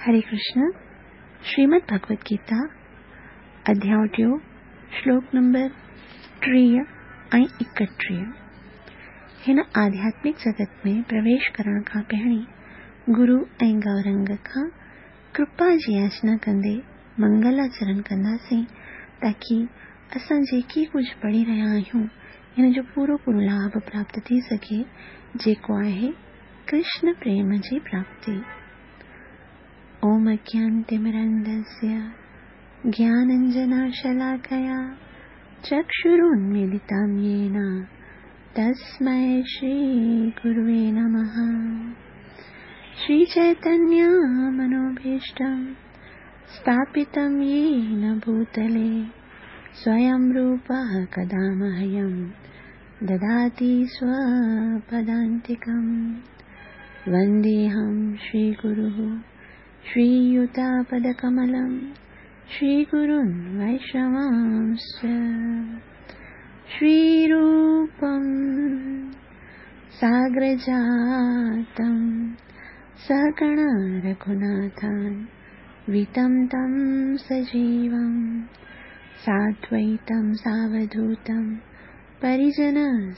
هري ڪرشن، شريمد ڀڳوت گيتا، اڌياء ٽيون، شلوڪ نمبر 30 ۽ 31. هن آڌياتمڪ جڳت ۾ پرويش ڪرڻ کان پهرين گرو ۽ گورنگ کان ڪرپا جي ياچنا ڪندي منگلاچرن ڪنداسين تاڪي اسان جيڪي ڪجهه پڙهي رهيا آهيون ان جو پورو پورو لاڀ پراپت ٿي سگهي جيڪو آهي ڪرشن پريم جي پراپتي. اوم اجنانتمرندسيه گياننجناشلاڪيا چڪشرونميلتم يين تسمي شري گروي نمه. شري چيتنيه منوڀيشٽم اسٿاپتم يين ڀوتلي سويم روپه ڪدا مهيم دداتي سوپدانتڪم. ونديهم شري گروه شرييتپدڪملم شري گرون ويشنوانش شري روپم ساگرجاتم سهگڻ رघوناٿان ويتم تم سجيوم سادويتم ساوڌوتم پريجن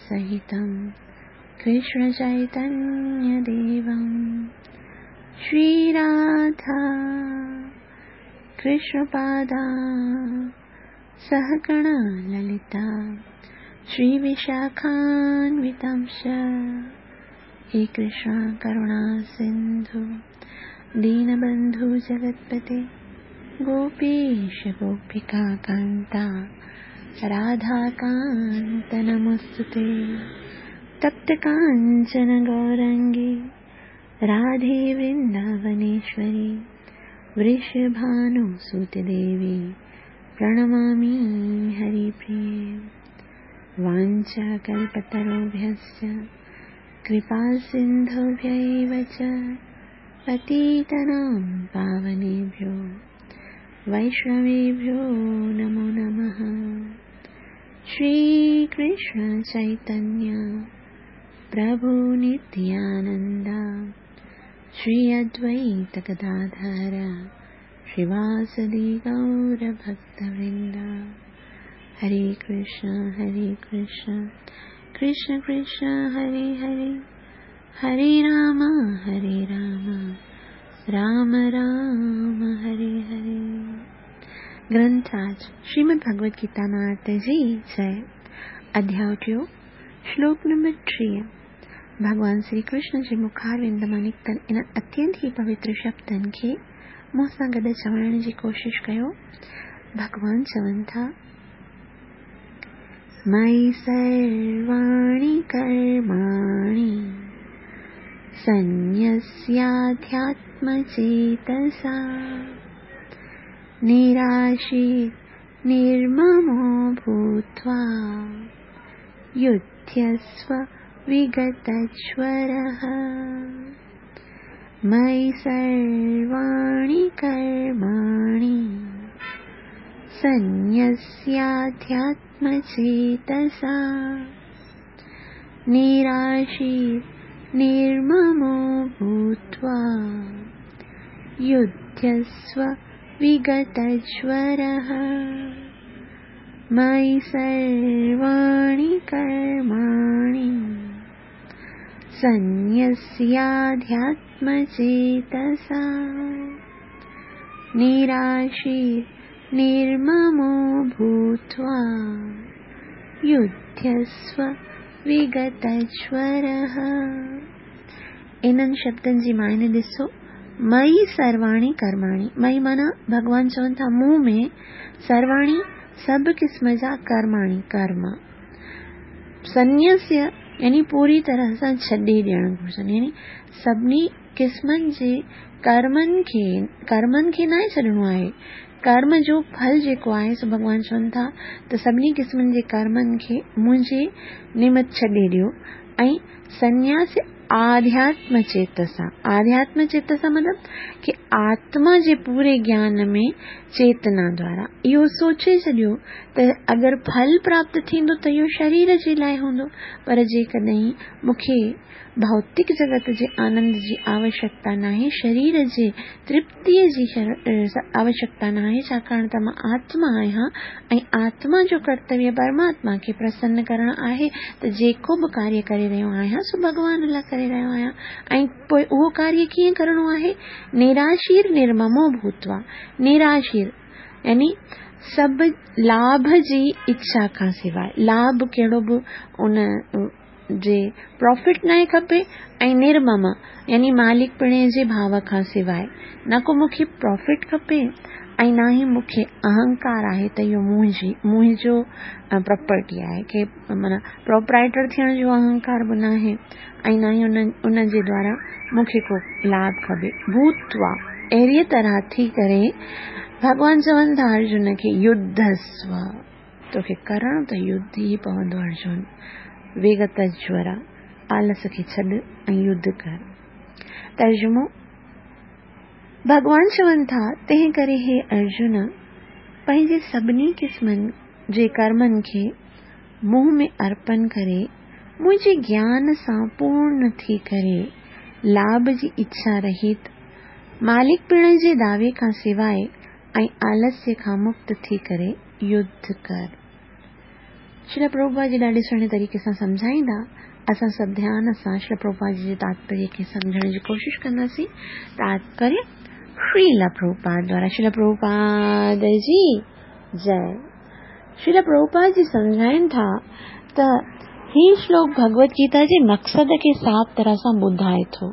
سهتم ڪرشن چيتنيه ديوم. شري راڌا ڪرشن پادا سهگڻ للتا شري وشاکانوتمش. هي ڪرشن ڪروڻا سنڌو دينبنڌو جگتپتي گوپيش گوپيڪا ڪانتا راڌا ڪانت نمستي. تپت ڪانچن گورنگي راڌي ورنداونيشوري ورشڀانو سوت ديوي پرڻمامي هري پريي. وانڇا ڪلپتروڀيشچ ڪرپا سنڌوڀيو چ پتيتنام پاونيڀيو ويشنويڀيو نمو نمه. شري ڪرشن چيتنيه پرڀو نتيانندا شري ادويت گداڌر شريواسدي گور ڀڪت ورندا. هري ڪرشن هري ڪرشن ڪرشن ڪرشن هري هري، هري رام هري رام رام رام هري هري. گرنٿراج شريمد ڀڳوت گيتا مهاتميه جي جئي. اڌياء ٽيون، شلوڪ نمبر 30. ڀڳوان شري ڪرشن جي مکاروند مان نڪتل ان اتينت ئي پوتر شبدن کي مون سان گڏ چوائڻ جي ڪوشش ڪيو. ڀڳوان چون ٿا، مئي سرواڻي ڪرماڻي سنيسياڌياتم چيتسا نراشي نرممو ڀوتوا يڌيسو وگتجورः. مئي سرواڻي ڪرماڻي سنيسياڌياتم چيتسا نراشي نرممو ڀوتوا يڌيسو وگتجورः. مئي سرواڻي ڪرماڻي سنيسياڌياتم چيتسا نراشي نرممو ڀوتوا يڌيسو وگتجورः. انهن شبدن جي معني ڏسو. مئي سرواڻي ڪرماڻي، مئي معنيٰ ڀڳوان چون ٿا مون ۾، سرواڻي سڀ قسم جا، ڪرماڻي ڪرم، سنيسيه يعني پوري طرح سان ڇڏي ڏيڻ گهرجن، يعني سڀني قسمن جي ڪرمن کي، ڪرمن کي ناهي ڇڏڻو آهي، ڪرم جو ڦل جيڪو آهي سو ڀڳوان چون ٿا ته سڀني قسمن جي ڪرمن کي منهنجي نمت ڇڏي ڏيو ۽ سنياس آڌياتم چيتسا، آڌياتم چيتسا مطلب ڪي آتما جي پوري گيان ۾ چيتنا دوارا اهو سوچي ڇڏيو ته اگر ڦل پراپت ٿيندو ته اهو شرير جي لاء هوندو، پر جيڪڏهن مون کي ڀوتڪ جڳت جي آنند جي آوشيڪتا ناهي، شرير جي ترپتيء جي آوشيڪتا ناهي، ڇاڪاڻ ته مان آتما آهيان ۽ آتما جو ڪرتويه پرماتما کي پرسن ڪرڻ آهي ته جيڪو به ڪاريه ڪري رهيو آهيان سو ڀڳوان لاء ڪري رهيو آهيان ۽ پوء اهو ڪاريه ڪيئن ڪرڻو آهي؟ نراشير نرممو ڀوتوا، نراشير يعني سڀ لاڀ جي اڇا کان سواء، لاڀ ڪهڙو به ان جي پرافٽ ناهي کپي ۽ نرمم يعني مالڪپڻي جي ڀاو کان سواء نه ڪو مون کي پرافٽ کپي ۽ نه ئي مون کي اهنڪار آهي ته اهو منهنجي منهنجو پراپرٽي آهي ڪي معنيٰ پروپرائيٽر ٿيڻ جو اهنڪار به ناهي ۽ نه ئي ان ان جي دوارا مون کي ڪو لاڀ کپي. ڀوتوا اهڙيء طرح ٿي ڪري ڀڳوان چون ٿا ارجن کي يڌسو. توکي ڪرڻو ته يڌ ئي پوندو ارجن! ويگت جورا، آلس کي ڇڏ ۽ يڌ ڪر. ترجمو، ڀڳوان چون ٿا، تنهن ڪري هي ارجن! پنهنجي سڀني قسمن جي ڪرمن کي مون ۾ ارپن ڪري، منهنجي گيان سان پورن ٿي ڪري، لاڀ جي اڇا رهت، مالڪپڻ جي دعوي کان سواء ۽ آلسيه کان مڪت ٿي ڪري يڌ ڪر. شريلا پرڀوپاد جي ڏاڍي سهڻي طريقي سان سمجهائيندا. اسان سڀ ڌيان سان شريلا پرڀوپاد جي جي تاتپريه کي سمجهڻ جي ڪوشش ڪنداسين. تاتپريه شريلا پرڀوپاد دوارا شريلا پرڀوپاد جي جئي. شريلا پرڀوپاد جي سمجهائين ٿا ته هي شلوڪ ڀڳوت گيتا جي مقصد کي صاف طرح سان ٻڌائي ٿو.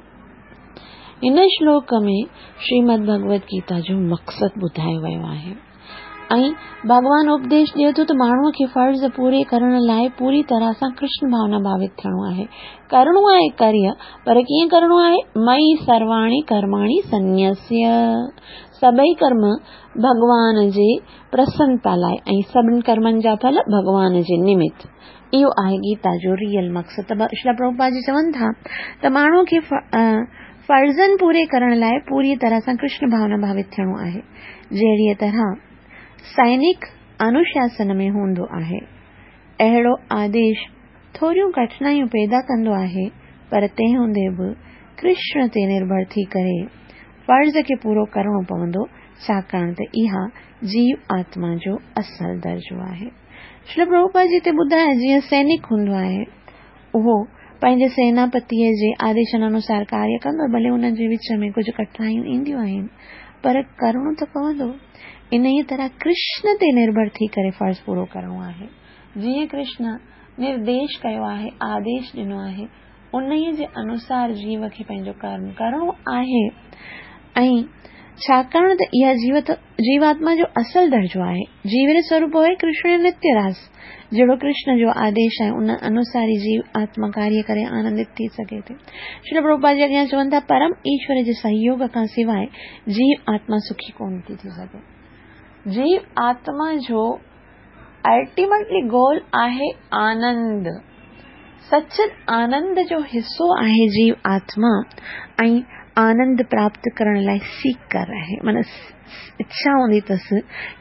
هن شلوڪ ۾ شريمد ڀڳوت گيتا جو مقصد ٻڌايو ويو آهي ۽ ڀڳوان اپديش ڏئي ٿو ته ماڻهوء کي فرض پوري ڪرڻ لاء پوري طرح سان ڪرشن ڀاونا ڀاوت ٿيڻو آهي. ڪرڻو آهي ڪريه، پر ڪيئن ڪرڻو آهي؟ مئي سرواڻي ڪرماڻي سنيسيه. سڀئي ڪرم ڀڳوان جي پرسنتا لاء ۽ سڀن ڪرمن جا ڦل ڀڳوان جي نمت. اهو آهي گيتا جو ريئل مقصد ته شريلا پرڀوپاد جي چون ٿا ته ماڻهو کي فرضن پوري ڪرڻ لاء پوريء طرح سان ڪرشن ڀاونا ڀاوت ٿيڻو آهي، جهڙيء طرح سئنڪ انوشاسن ۾ هوندو آهي. اهڙو آديش ٿوريون ڪٺنايون پيدا ڪندو آهي، پر تنهن هوندي به ڪرشن تي نرڀر ٿي ڪري فرض کي پورو ڪرڻو پوندو، ڇاڪاڻ ته اها جيو آتما جو اصل درجو آهي. شريلا پرڀوپاد جي هتي ٻڌايو جيئن سينڪ هوندو آهي اهو پنهنجي سيناپتيء جي آديشن انوسار ڪاريه ڪندو ڀلي ان جي وچ ۾ ڪجهه ڪٺنايون اينديون آهن پر ڪرڻو ته پوندو. انهيء طرح ڪرشن تي نرڀر ٿي ڪري فرض پورو ڪرڻو آهي. جيئن ڪرشن نرديش ڪيو آهي، آديش ڏنو آهي، انهيء جي انوسار جيو کي پنهنجو ڪرم ڪرڻو آهي ۽ ڇاڪاڻ ته اها جيوت جيواتما جو اصل درجو آهي. جيو جو سوروپ آهي ڪرشن جو نتيه راس. جهڙو ڪرشن جو آديش آهي ان انوسار ئي جيو آتما ڪاريه ڪري آنندت ٿي سگهي ٿي. شريل پرڀوپاد جي اڳيان چون ٿا پرم ايشور جي سهيوگ کان سواء جيو آتما سکي ڪونه ٿي ٿي سگهي. جيو آتما جو الٽيميٽلي گول آهي آنند. سچ آنند جو حصو آهي جيو آتما ۽ آنند پراپت ڪرڻ لاء سيڪر آهي معنيٰ اڇا هوندي اٿس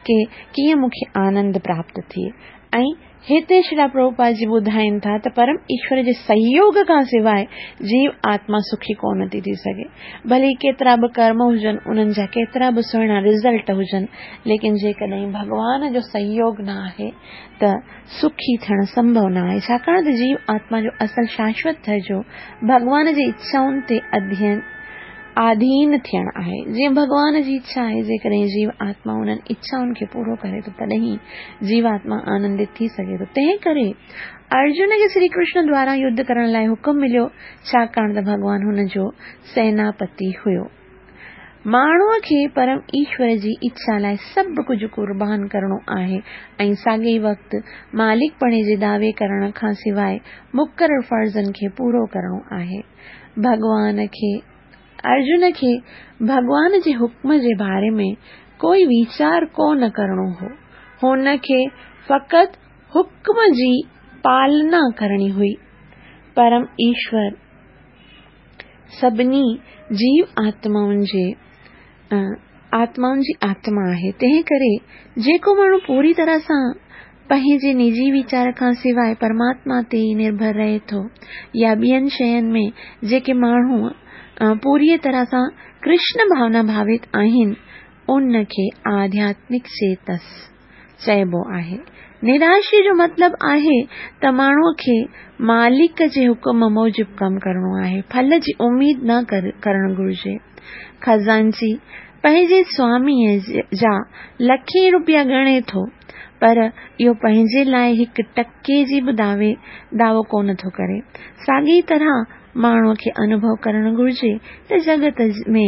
ڪي ڪيئن مون کي آنند پراپت ٿئي ۽ هتي شريلا پرڀوپاد جي ٻڌائين ٿا ته پرم ايشور جي سهيوگ کان سواء جيو آتما سکي ڪونه ٿي ٿي سگهي. ڀلي ڪيترا به ڪرم هجن، انهن جا ڪيترا به سهڻا رزلٽ هجن، ليڪن جيڪڏهن ڀڳوان جو سهيوگ نه آهي ته سکي ٿيڻ سنڀو نه آهي، ڇاڪاڻ ته جيو آتما جو اصل شاشوت درجو ڀڳوان جي اڇائن تي اڌين، آڌين، ٿيڻ آهي. جيئن ڀڳوان جي اڇا آهي، جيڪڏهن جيو آتما انهن اڇائن کي پورو ڪري ٿو تڏهن ئي جيواتما آنندت ٿي سگهي ٿو. تنهن ڪري ارجن کي شري ڪرشن دواران يڌ ڪرڻ لاء حڪم مليو، ڇاڪاڻ ته ڀڳوان هن جو سيناپتي هيو. ماڻهوء کي پرم ايشور جي اڇا لاء سڀ ڪجهه قربان ڪرڻو آهي ۽ ساڳئي وقت مالڪپڻي جي دعوي ڪرڻ کان سواء مقرر فرضن کي پورو ڪرڻو آهي. ڀڳوان کي ارجن کي ڀڳوان جي حڪم جي باري ۾ ڪوئي ويچار ڪو نه ڪرڻو هو. هن کي فقط حڪم جي پالنا ڪرڻي هئي. پرم ايشور. سڀني جيو آتمائن جي آتمائن جي آتما آهي. تنهن ڪري جيڪو ماڻهو پوري طرح سان پنهنجي نجي ويچار کان سواء پرماتما تي ئي نرڀر رهي ٿو يا ٻين شين ۾ جيڪي ماڻهو پوريء طرح سان ڪرشن ڀاونا ڀاوت آهن، ان کي آڌياتمڪ چيتس چئبو آهي. نراشي جو مطلب آهي ته ماڻهوء کي مالڪ جي حڪم موجب ڪم ڪرڻو آهي، ڦل جي اميد نه ڪرڻ گهرجي. خزانچي پنهنجي سواميء جا لکين روپيا ڳڻي ٿو، پر اهو پنهنجي لاء هڪ ٽڪي جي به دعوي دعوو ڪونه ٿو ڪري. ساڳيء طرح ماڻهوء کي انوڀو ڪرڻ گهرجي ته جڳت ۾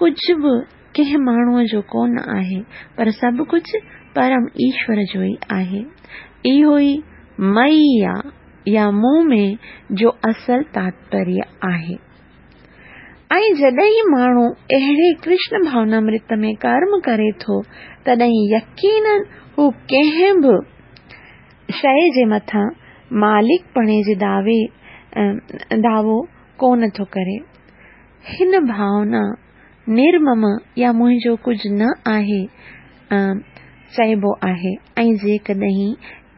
ڪجهه به ڪنهن ماڻهوء جو ڪونه آهي، پر سڀ ڪجهه پرم ايشور جو ئي آهي. اهو ئي مئي يا مون ۾ جو اصل تاتپريه آهي. ۽ جڏهن ماڻهو اهڙي ڪرشن ڀاونامرت ۾ ڪرم ڪري ٿو، تڏهن يقيناً هو ڪنهن به شيء جي مٿان مالڪپڻي جي دعوي دعوو ڪونه ٿو ڪري. هن ڀاونا نرمم يا منهنجو ڪجهه نه آهي چئبو آهي ۽ جيڪڏهن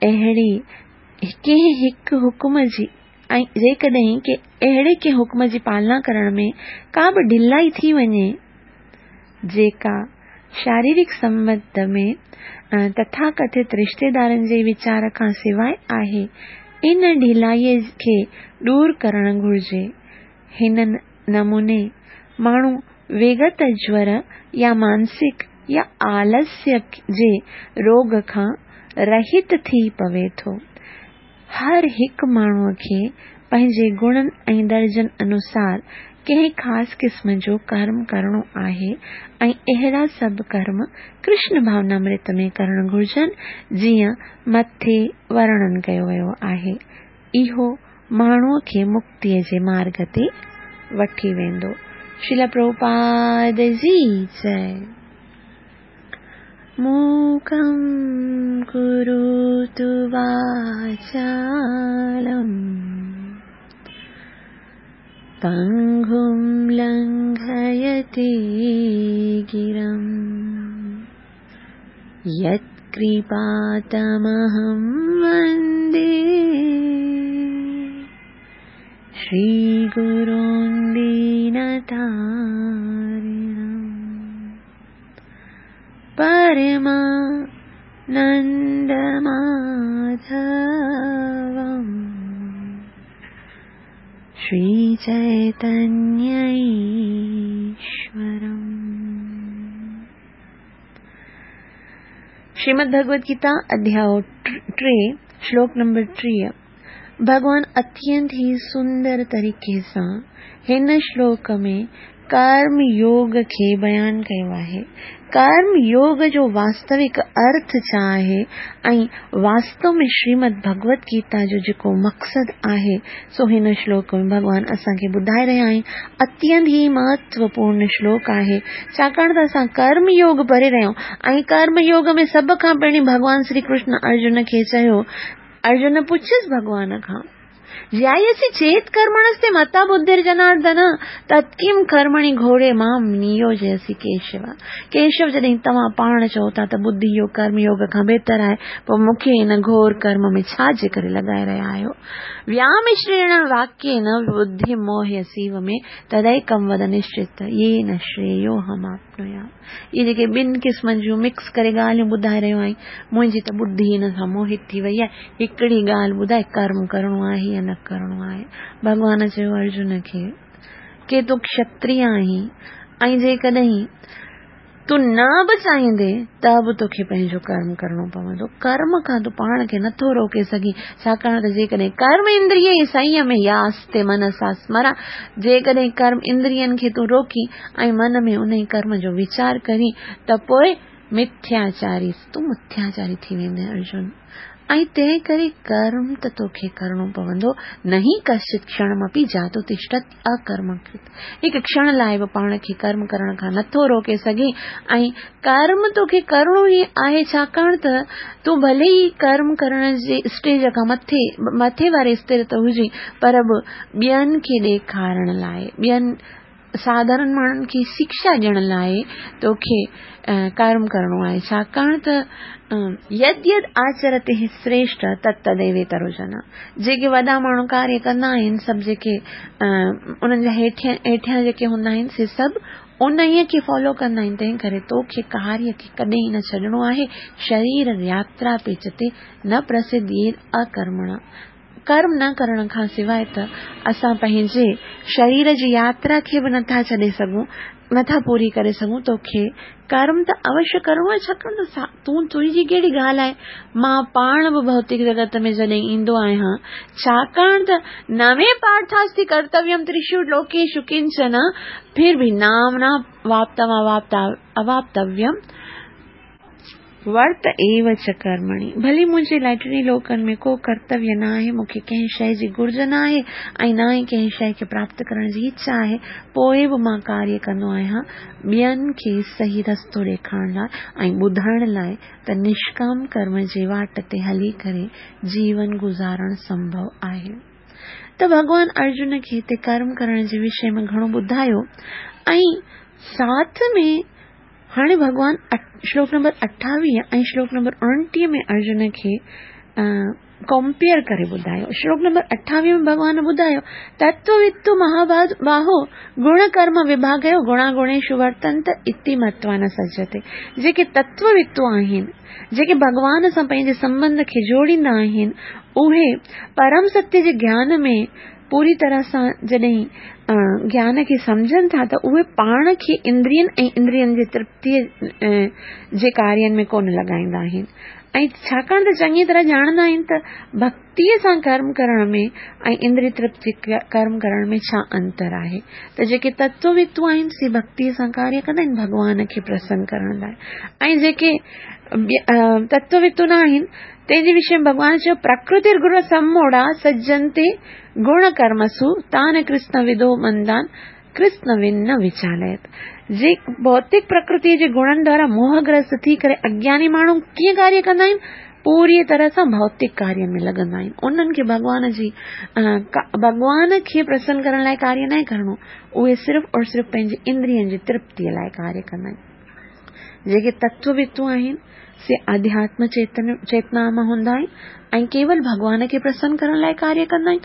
اهڙي ڪنهن هڪ حڪم جي ۽ جيڪڏهن اهڙي ڪنهن حڪم جي پالنا ڪرڻ ۾ ڪا به ڍلائي ٿي وڃي جيڪا شاريرڪ سنٻنڌ ۾ تٿاڪٿت رشتيدارن جي ويچار کان سواء آهي، ان ڍلائيء کي ڏور ڪرڻ گهرجي. هن نموني ماڻهو ويگت جور يا مانسڪ يا آلسيه جي روڳ کان رهت ٿي پوي ٿو. هر هڪ ماڻهوء کي پنهنجي گڻن ۽ درجن انوسار ڪنهن خاص قسم جو ڪرم ڪرڻو آهي ۽ اهڙا سڀ ڪرم ڪرشن ڀاونامرت ۾ ڪرڻ گهرجن جيئن مٿي ورڻن ڪيو ويو آهي. اهو ماڻهوء کي مڪتيء جي مارڳ تي وٺي ويندو. شريلا پرڀوپاد جي جئي. موڪم ڪروتو واچالم پنگم لنگهيتي گرم يتڪرپا تمهم وندي شري گرون دينتارڻم پرما نند ماڌوم شري چيتنيه ايشورم. شريمد ڀڳوت گيتا اڌياء ٽي شلوڪ نمبر 30 ڀڳوان اتينت ئي سندر طريقي سان هن شلوڪ ۾ ڪرم يوگ کي بيان ڪيو آهي. ڪرم يوگ جو واستوڪ ارٿ ڇا آهي ۽ واستو ۾ شريمد ڀڳوت گيتا جو جيڪو مقصد آهي سو هن شلوڪ ۾ ڀڳوان اسان کي ٻڌائي رهيا آهن. اتينت ئي مهتوپورن شلوڪ آهي ڇاڪاڻ ته اسان ڪرم يوگ پڙهي رهيا آهيون ۽ ڪرم يوگ ۾ سڀ کان پهرين ڀڳوان شري ڪرشن ارجن کي چيو ارجن پڇيس ڀڳوان کان جيايسي چيت ڪرمڻستي متا ٻڌر جناردن تتڪيم ڪرمڻي گهوڙي مام نيوجيسي ڪيشو ڪيشو جڏهن توهان پاڻ چئو ٿا ته ٻڌي يوگ ڪرم يوگ کان بهتر آهي پوء مون کي هن گهور ڪرم ۾ ڇا جي ڪري لڳائي رهيا آهيو ويامشريڻ واڪيين ٻڌي موهيسيو ۾ تديڪم ود نشچت يين شريو هماپنويات اهي جيڪي ٻن قسمن جون مڪس ڪري ڳالهيون ٻڌائي رهيو آهين، منهنجي ته ٻڌي هن سان موهت ٿي وئي آهي. هڪڙي ڳالهه ٻڌاء ڪرم ڪرڻو آهي يا نه ڪرڻو آهي؟ ڀڳوان چيو ارجن کي ڪي تون کشتريه آهين ۽ جيڪڏهن تون نه به چاهيندين ته به توکي پنهنجو ڪرم ڪرڻو پوندو. ڪرم کان تون پاڻ کي نٿو روڪي سگهين، ڇاڪاڻ ته جيڪڏهن ڪرم اندريي سنيمي ياستي منسا سمرا، جيڪڏهن ڪرم اندرين کي تون روڪين ۽ من ۾ انهي ڪرم جو ويچار ڪرين ته پوء مٿياچاري، تون مٿياچاري ٿي ويندين ارجن. ۽ تنهن ڪري ڪرم ته توکي ڪرڻو پوندو، نهي ڪشچت ڪشڻمپي جاتو تشتت اڪرمڪرت. هڪ ڪشڻ لاء به پاڻ کي ڪرم ڪرڻ کان نٿو روڪي سگهين ۽ ڪرم توکي ڪرڻو ئي آهي ڇاڪاڻ ته تون ڀلي ئي ڪرم ڪرڻ جي اسٽيج کان مٿي مٿي واري استر تي هجين پر به ٻين کي ڏيکارڻ لاء ٻين ساڌارڻ ماڻهن کي شڪشا ڏيڻ لاء توکي ڪرم ڪرڻو آهي، ڇاڪاڻ ته يد يد آچرتي شريشٺ تت تديويترو جن. جيڪي وڏا ماڻهو ڪاريه ڪندا آهن، سڀ جيڪي انهن جا هيٺيان جيڪي هوندا آهن، سي سڀ انهيء کي فالو ڪندا آهن، تنهن ڪري توکي ڪاريه کي ڪڏهن نه ڇڏڻو آهي، شرير ياترا پيچتي نه پرسڌييد اڪرمڻا. ڪرم نه ڪرڻ کان سواء ته اسان پنهنجي شرير جي ياترا کي به نٿا ڇڏي سگهون، نٿا پوري ڪري سگهون، توکي ڪرم ته اوشيه ڪرڻو آهي، ڇاڪاڻ ته تون تنهنجي ڪهڙي ڳالهه آهي، مان پاڻ به ڀوتڪ جڳت ۾ جڏهن ايندو آهيان، ڇاڪاڻ ته نه مي پارٿاستي ڪرتويم تريشو لوڪيشو ڪنچن، ڦر به نام نه واپتم اواپتويم. ورت ايو چ ڪرمڻي، ڀلي منهنجي لاء ٽنهي لوڪن ۾ ڪو ڪرتويه نه آهي، مون کي ڪنهن شيء جي گهرج نه آهي ۽ نه ئي ڪنهن شيء کي پراپت ڪرڻ جي اڇا آهي، پوء به مان ڪاريه ڪندو آهيان، ٻين کي صحيح رستو ڏيکارڻ لاء ۽ ٻڌائڻ لاء ته نشڪام ڪرم جي واٽ تي هلي ڪري جيون گذارڻ سنڀو آهي. ته ڀڳوان ارجن کي هتي ڪرم ڪرڻ جي وشي ۾ گهڻو ٻڌايو ۽ ساٿ ۾ هاڻي ڀڳوان شلوڪ نمبر 28 ۽ شلوڪ نمبر 29 ۾ ارجن کي ڪمپيئر ڪري ٻڌايو. شلوڪ نمبر 28 ۾ ڀڳوان ٻڌايو، تتووتو مهاباهو گڻ ڪرم وڀاڳيو گڻا گڻيشو ورتنت اتي متوا نه سجهتي. جيڪي تتووتو آهن، جيڪي ڀڳوان سان پنهنجي سنٻنڌ کي جوڙيندا آهن، اهي پرم ستيه جي گيان ۾ پوري طرح سان جڏهن گيان کي سمجهن ٿا ته اهي پاڻ کي اندرين ۽ اندرين جي ترپتيء جي ڪارين ۾ ڪونه لڳائيندا آهن ۽ ڇاڪاڻ ته چڱي طرح ڄاڻندا آهن ته ڀڪتيء سان ڪرم ڪرڻ ۾ ۽ اندري ترپتي ڪرم ڪرڻ ۾ ڇا انتر آهي ته جيڪي تتووتو آهن سي ڀڪتيء سان ڪاريه ڪندا آهن ڀڳوان کي پرسن ڪرڻ لاء ۽ جيڪي تتووتو نه آهن تنهن جي وشي ۾ ڀڳوان چيو، پرڪرتير گڻ سموڙا سجنتي گڻ ڪرمسو تان ڪرسن ودو مندان ڪرسن ون نه وچاليت. جي ڀوتڪ پرڪرتيء جي گڻن دوارا موهگرست ٿي ڪري اگياني ماڻهو ڪيئن ڪاريه ڪندا آهن؟ پوريء طرح سان ڀوتڪ ڪارين ۾ لڳندا آهن. انهن کي ڀڳوان جي ڀڳوان کي پرسن ڪرڻ لاء ڪاريه ناهي ڪرڻو. اهي صرف اور صرف پنهنجي اندرين جي ترپتيء لاء ڪاريه ڪندا آهن. جيڪي تتووتو آهن، سي آڌياتم چيتنا مان هوندا آهن ۽ ڪيول ڀڳوان کي پرسن ڪرڻ لاء ڪاريه ڪندا آهن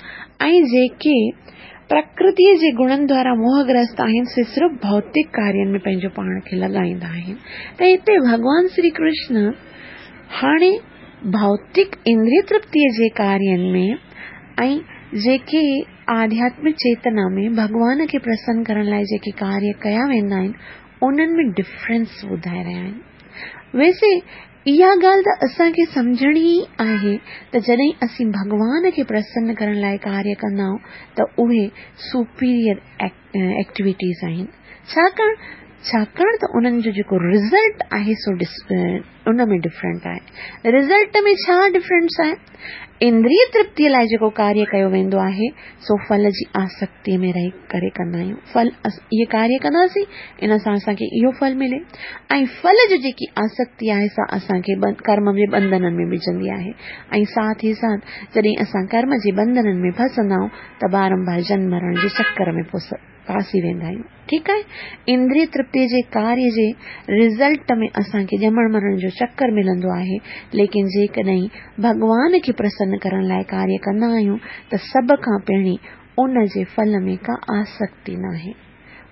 ۽ جيڪي پرڪرتيء جي گڻن دوارا موهگرست آهن، سي صرف ڀوتڪ ڪارين ۾ پنهنجو پاڻ کي لڳائيندا آهن. ته هتي ڀڳوان شري ڪرشن هاڻي ڀوتڪ اندريه ترپتيء جي ڪارين ۾ ۽ جيڪي آڌياتمڪ چيتنا ۾ ڀڳوان کي پرسن ڪرڻ لاء جيڪي ڪاريه ڪيا ويندا آهن، انهن ۾ ڊفرنس ٻڌائي رهيا آهن. ويسي اها ڳالهه ته اسان کي سمجهڻي ئي آهي ته جڏهن اسين ڀڳوان کي پرسن ڪرڻ لاء ڪاريه ڪندا آهيون ته اهي سپيريئر ايڪٽيوٽيز آهن ڇاڪاڻ ڇاڪاڻ ته انهن جو جيڪو رزلٽ آهي سو ان ۾ ڊفرنٽ آهي. رزلٽ ۾ ڇا ڊفرنس آهي؟ اندريه ترپتيء لاء جيڪو ڪاريه ڪيو ويندو آهي، سو ڦل جي آسڪتيء ۾ رهي ڪري ڪندا آهيون. ڦل اهي ڪاريه ڪنداسين، ان سان اسان کي اهو ڦل ملي ۽ ڦل جو جيڪي آسڪتي آهي سا اسان کي ڪرم جي ٻنڌنن ۾ وجهندي آهي ۽ ساٿ ئي ساٿ جڏهن اسان ڪرم جي ٻنڌنن ۾ ڦسندا آهيون ته بارنبار جنم مرڻ جي چڪر ۾ ڦاسي ويندا آهيون. ٺيڪ آهي. اندريه ترپتيء جي ڪاريه جي رزلٽ ۾ اسان کي ڄمڻ مرڻ جو چڪر ملندو آهي، ليڪن جيڪڏهن ڀڳوان کي پرسن ڪرڻ لاء ڪاريه ڪندا آهيون ته سڀ کان پهرين ان جي ڦل ۾ ڪا آسڪتي ناهي.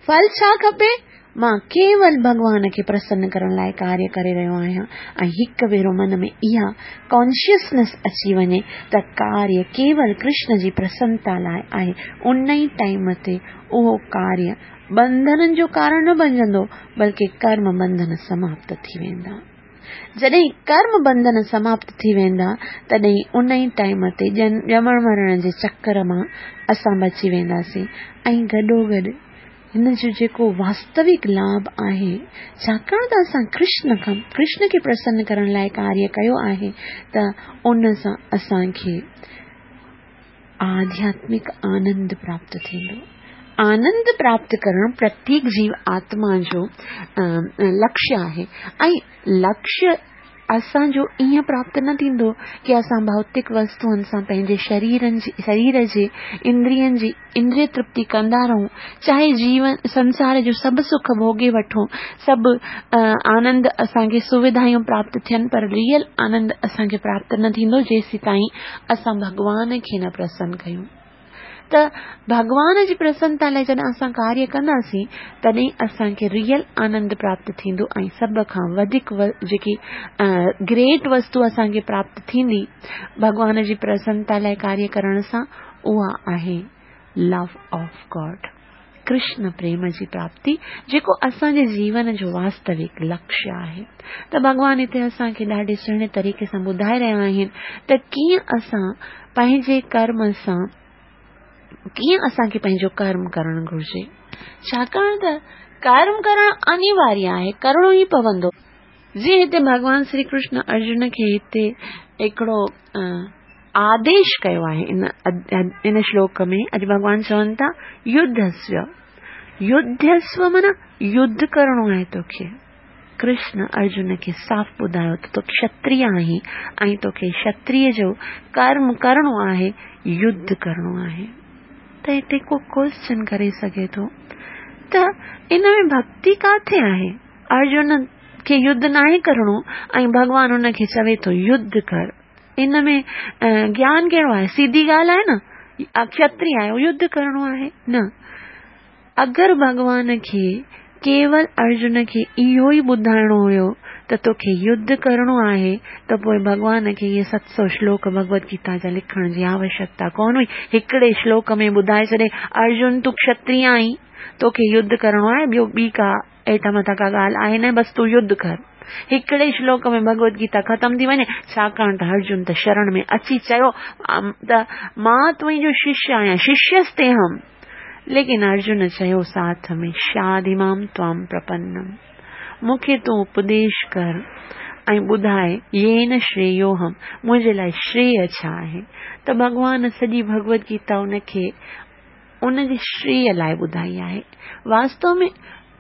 ڦل ڇا کپي؟ مان ڪيول ڀڳوان کي پرسن ڪرڻ لاء ڪاريه ڪري رهيو آهيان ۽ هڪ ڀيرو من ۾ اها ڪانشسنس اچي وڃي ته ڪاريه ڪيول ڪرشن جي پرسنتا لاء آهي، ان ئي ٽائيم تي اهو ڪاريه ٻنڌنن جو ڪارڻ نه بنجندو، بلڪه ڪرم ٻنڌن سماپت ٿي ويندا. جڏهن ڪرم ٻنڌن سماپت ٿي ويندا، تڏهن ان ئي ٽائيم تي ڄمڻ مرڻ جي چڪر مان اسان بچي وينداسين ۽ گڏوگڏ هن جو جيڪو واستوڪ لاڀ آهي، ڇاڪاڻ ته اسان ڪرشن کان ڪرشن کي پرسن ڪرڻ لاء ڪاريه ڪيو آهي ته ان سان اسان کي آڌياتمڪ آنند پراپت ٿيندو. آنند پراپت ڪرڻ پرتيڪ جيو آتما جو لڪشيه آهي ۽ لڪشيه اسان جو ائين پراپت نه ٿيندو ڪي اسان ڀوتڪ وستوئن سان پنهنجي شريرن جي شرير جي اندرين جي اندريه ترپتي ڪندا رهون چاهي جيون سنسار جو سڀ سک ڀوڳي وٺون سڀ آنند اسان کي سوڌايون پراپت ٿين پر ريئل آنند اسان کي پراپت نه ٿيندو جيسيتائين اسان ڀڳوان کي نه پرسن ڪيون. ته ڀڳوان جي پرسنتا لاء جڏهن اسان ڪاريه ڪنداسين تڏهن اسان کي ريئل آنند پراپت ٿيندو ۽ سڀ کان وڌيڪ جيڪي گريٽ وستو اسان کي پراپت ٿيندي ڀڳوان جي پرسنتا لاء ڪاريه ڪرڻ سان اها آهي لو آف گاڊ ڪرشن پريم جي پراپتي جيڪو اسان جي جيون جو واستوڪ لڪشيه آهي ته ڀڳوان هتي اسان کي ڏاڍي سهڻي طريقي سان ٻڌائي رهيا آهن ته ڪيئن اسان پنهنجي ڪرم سان ڪيئن اسان کي پنهنجو ڪرم ڪرڻ گهرجي ڇاڪاڻ ته ڪرم ڪرڻ انيواريه آهي ڪرڻو ئي پوندو جيئن هتي ڀڳوان شري ڪرشن ارجن کي هتي هڪڙو آديش ڪيو آهي ان ان شلوڪ ۾ اڄ ڀڳوان چون ٿا يڌسو يڌسو معنيٰ يڌ ڪرڻو آهي توکي ڪرشن ارجن کي صاف ٻڌايو ته تون کشتري آهين ۽ توکي کشتري جو ڪرم ڪرڻو آهي يڌ ڪرڻو آهي ته هتي ڪو ڪوئسچن ڪري سگهي ٿو ته ان ۾ ڀڳتي ڪاٿي آهي ارجن کي يڌ ناهي ڪرڻو ۽ ڀڳوان ان کي چوي ٿو يڌ ڪر ان ۾ گيان ڪهڙو آهي سيڌي ڳالهه آهي نه کشتري آهي يڌ ڪرڻو آهي نه اگر ڀڳوان کي ڪيول ارجن کي اهو ئي ٻڌائڻو هيو ته توکي يڌ ڪرڻو آهي ته پوء ڀڳوان کي اهي ست سو شلوڪ ڀڳوت گيتا جا لکڻ جي آوشڪتا ڪونه هئي هڪڙي شلوڪ ۾ ٻڌائي ڇڏي ارجن تون کشتري آهين توکي يڌ ڪرڻو آهي ٻيو ٻي ڪا هيٺان مٿان ڪا ڳالهه آهي نه بس تون يڌ ڪر. هڪڙي شلوڪ ۾ ڀڳوت گيتا ختم ٿي وڃي، ڇاڪاڻ ته ارجن ته شرڻ ۾ اچي چيو ته مان تنهنجو ششيه آهيان، ششيستيهم. ليڪن ارجن چيو ساٿ ۾ شاڌي مام توام پرپنم. مون کي تون اپديش ڪر ۽ ٻڌاء يين شريوهم منهنجي لاء شريه ڇا آهي؟ ته ڀڳوان سڄي ڀڳوت گيتا ان کي ان جي شريه لاء ٻڌائي آهي. واستو ۾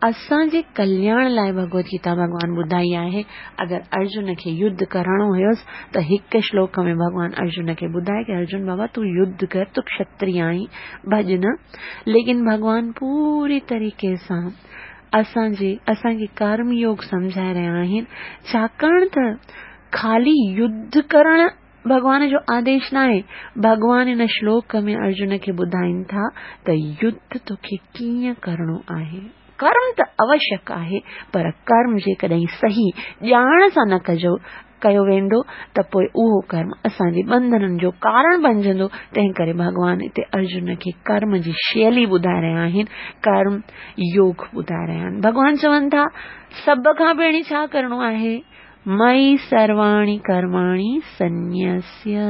اسان جي ڪلياڻ لاء ڀڳوت گيتا ڀڳوان ٻڌائي آهي. اگر ارجن کي يڌ ڪرڻو هيس ته هڪ شلوڪ ۾ ڀڳوان ارجن کي ٻڌائي ڪي ارجن بابا تون يڌ ڪر تون کشتري آهين ڀڄ نه ليڪن ڀڳوان پوري طريقي سان اسان جي اسان کي ڪرم يوگ سمجهائي رهيا آهن ڇاڪاڻ ته خالي يڌ ڪرڻ ڀڳوان جو آديش ناهي. ڀڳوان هن شلوڪ ۾ ارجن کي ٻڌائين ٿا ته يڌ توکي ڪيئن ڪرڻو آهي. ڪرم ته اوشيڪ آهي پر ڪرم جيڪڏهن صحيح ڄاڻ سان نه ڪجو ڪيو ويندو ته پوء اهو ڪرم اسان جي ٻنڌنن جو ڪارڻ بنجندو تنهن ڪري ڀڳوان هتي ارجن کي ڪرم جي شيلي ٻڌائي رهيا آهن ڪرم يوگ ٻڌائي رهيا آهن ڀڳوان چون ٿا سڀ کان پهرين ڇا ڪرڻو آهي مئي سرواڻي ڪرماڻي سنيسيه.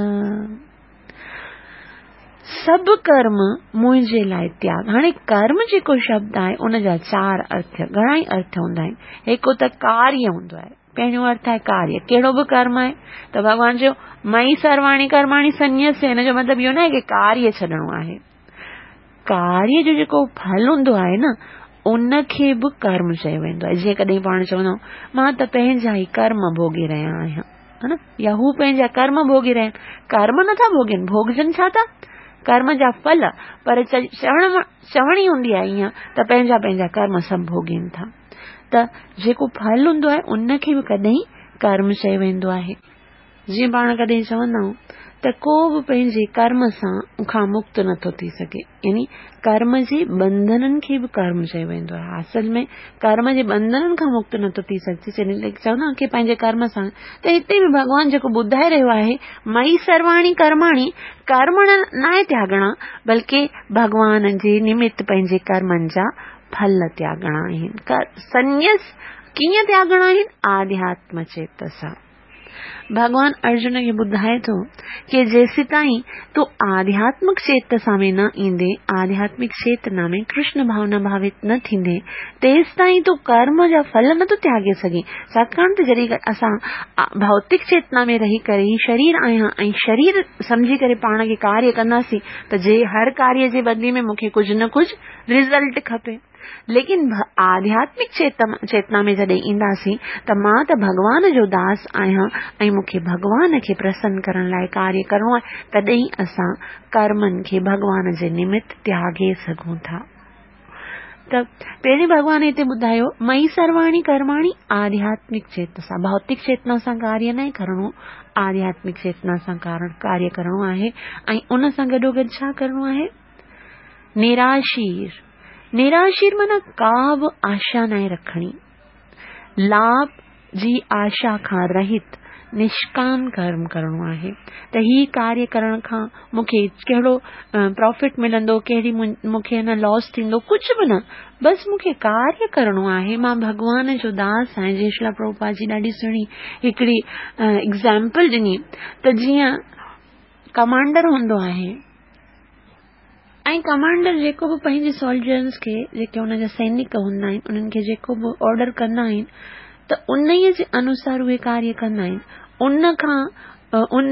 سڀ ڪرم منهنجي لاء تياڳ. هاڻي ڪرم جيڪو شبد آهي ان جا چار ارٿ، گهڻا ئي ارٿ هوندا آهن. هڪ ته ڪاريه هوندو آهي. پهريون ارٿ آهي ڪاريه. ڪهڙو به ڪرم آهي ته ڀڳوان چيو مئي سرواڻي ڪرماڻي سنيسيه هن جو مطلب اهو ناهي ڪي ڪاريه ڇڏڻو آهي. ڪاريه جو جيڪو ڦل هوندو آهي نه ان کي به ڪرم چيو ويندو آهي جيئن ڪڏهن پاڻ چوندا آهيون مان ته پنهنجا ئي ڪرم ڀوڳي رهيا آهيان ها نه يا هو پنهنجا ڪرم ڀوڳي رهيا آهن ڪرم نٿا ڀوڳين ڀوڳجن ڇا ٿا ڪرم جا ڦل پر چوڻ چوڻي هوندي آهي ائين ته پنهنجا پنهنجا ڪرم سڀ ڀوڳين ٿا ته جيڪو ڦل هوندو آهي ان کي به ڪڏهن ڪرم چيو ويندو آهي جيئن پاڻ ڪڏهن چوندا آهيون ته ڪو به پنهنجي ڪرم سان کان مڪت نٿو ٿي سگهي يعني ڪرم جي ٻنڌنن کي به ڪرم چيو ويندو آهي اصل ۾ ڪرم جي ٻنڌنن کان مڪت نٿو ٿي سگهجي چوندا آهن ڪي پنهنجي ڪرم سان ته هتي به ڀڳوان جيڪو ٻڌائي رهيو آهي مئي سرواڻي ڪرماڻي ڪرم ناهي تياڳڻا بلڪه ڀڳوان جي نمت پنهنجي ڪرمن جا ڦل تياڳڻا آهن سنيس ڪيئن تياڳڻا آهن آڌياتم چيتسا. ڀڳوان ارجن کي ٻڌائي ٿو ڪي جيسيتائين تون آڌياتمڪ چيتسا ۾ نه ايندين، آڌياتمڪ چيتنا ۾ ڪرشن ڀاونا ڀاوت نه ٿيندين، تيستائين تون ڪرم جا ڦل نه ٿو تياڳي سگهين. ڇاڪاڻ ته جڏهن اسان ڀوتڪ چيتنا ۾ رهي ڪري هي شرير آهيان ۽ شرير سمجهي ڪري پاڻ کي ڪاريه ڪنداسين ته جي هر ڪاريه جي بدلي ۾ مون کي ڪجهه نه ڪجهه رزلٽ کپي. ليڪن آڌياتمڪ چيتنا ۾ جڏهن اينداسين ته مان ته ڀڳوان جو داس آهيان ۽ مون کي ڀڳوان کي پرسن ڪرڻ لاء ڪاريه ڪرڻو آهي تڏهن اسان ڪرمن کي ڀڳوان جي نمت تياڳي سگهون ٿا. ته پهرين ڀڳوان هتي ٻڌايو مئي سرواڻي ڪرماڻي آڌياتمڪ چيتنا سان ڀوتڪ چيتنا سان ڪاريه ناهي ڪرڻو آڌياتمڪ چيتنا سان ڪاريه ڪرڻو آهي ۽ ان سان گڏوگڏ ڇا ڪرڻو آهي نراشير نراشير معنيٰ ڪا به آشا ناهي رکڻي لاڀ جي آشا کان رهت نشڪام ڪرم ڪرڻو آهي ته هي ڪاريه ڪرڻ کان مون کي ڪهڙو پرافٽ ملندو ڪهڙي مون کي نه لاس ٿيندو ڪجهه به نه بس مون کي ڪاريه ڪرڻو آهي مان ڀڳوان جو داس آهيان جيئن شريلا پرڀوپاد جي ڏاڍي سهڻي هڪڙي ايگزامپل ڏني ته جيئن ڪمانڊر هوندو آهي ۽ ڪمانڊر جيڪو به پنهنجي سولجرز کي جيڪي ان جا سينڪ هوندا آهن انهن کي جيڪو به آرڊر ڪندا آهن ته انهيء جي انوسار اهي ڪاريه ڪندا آهن ان کان ان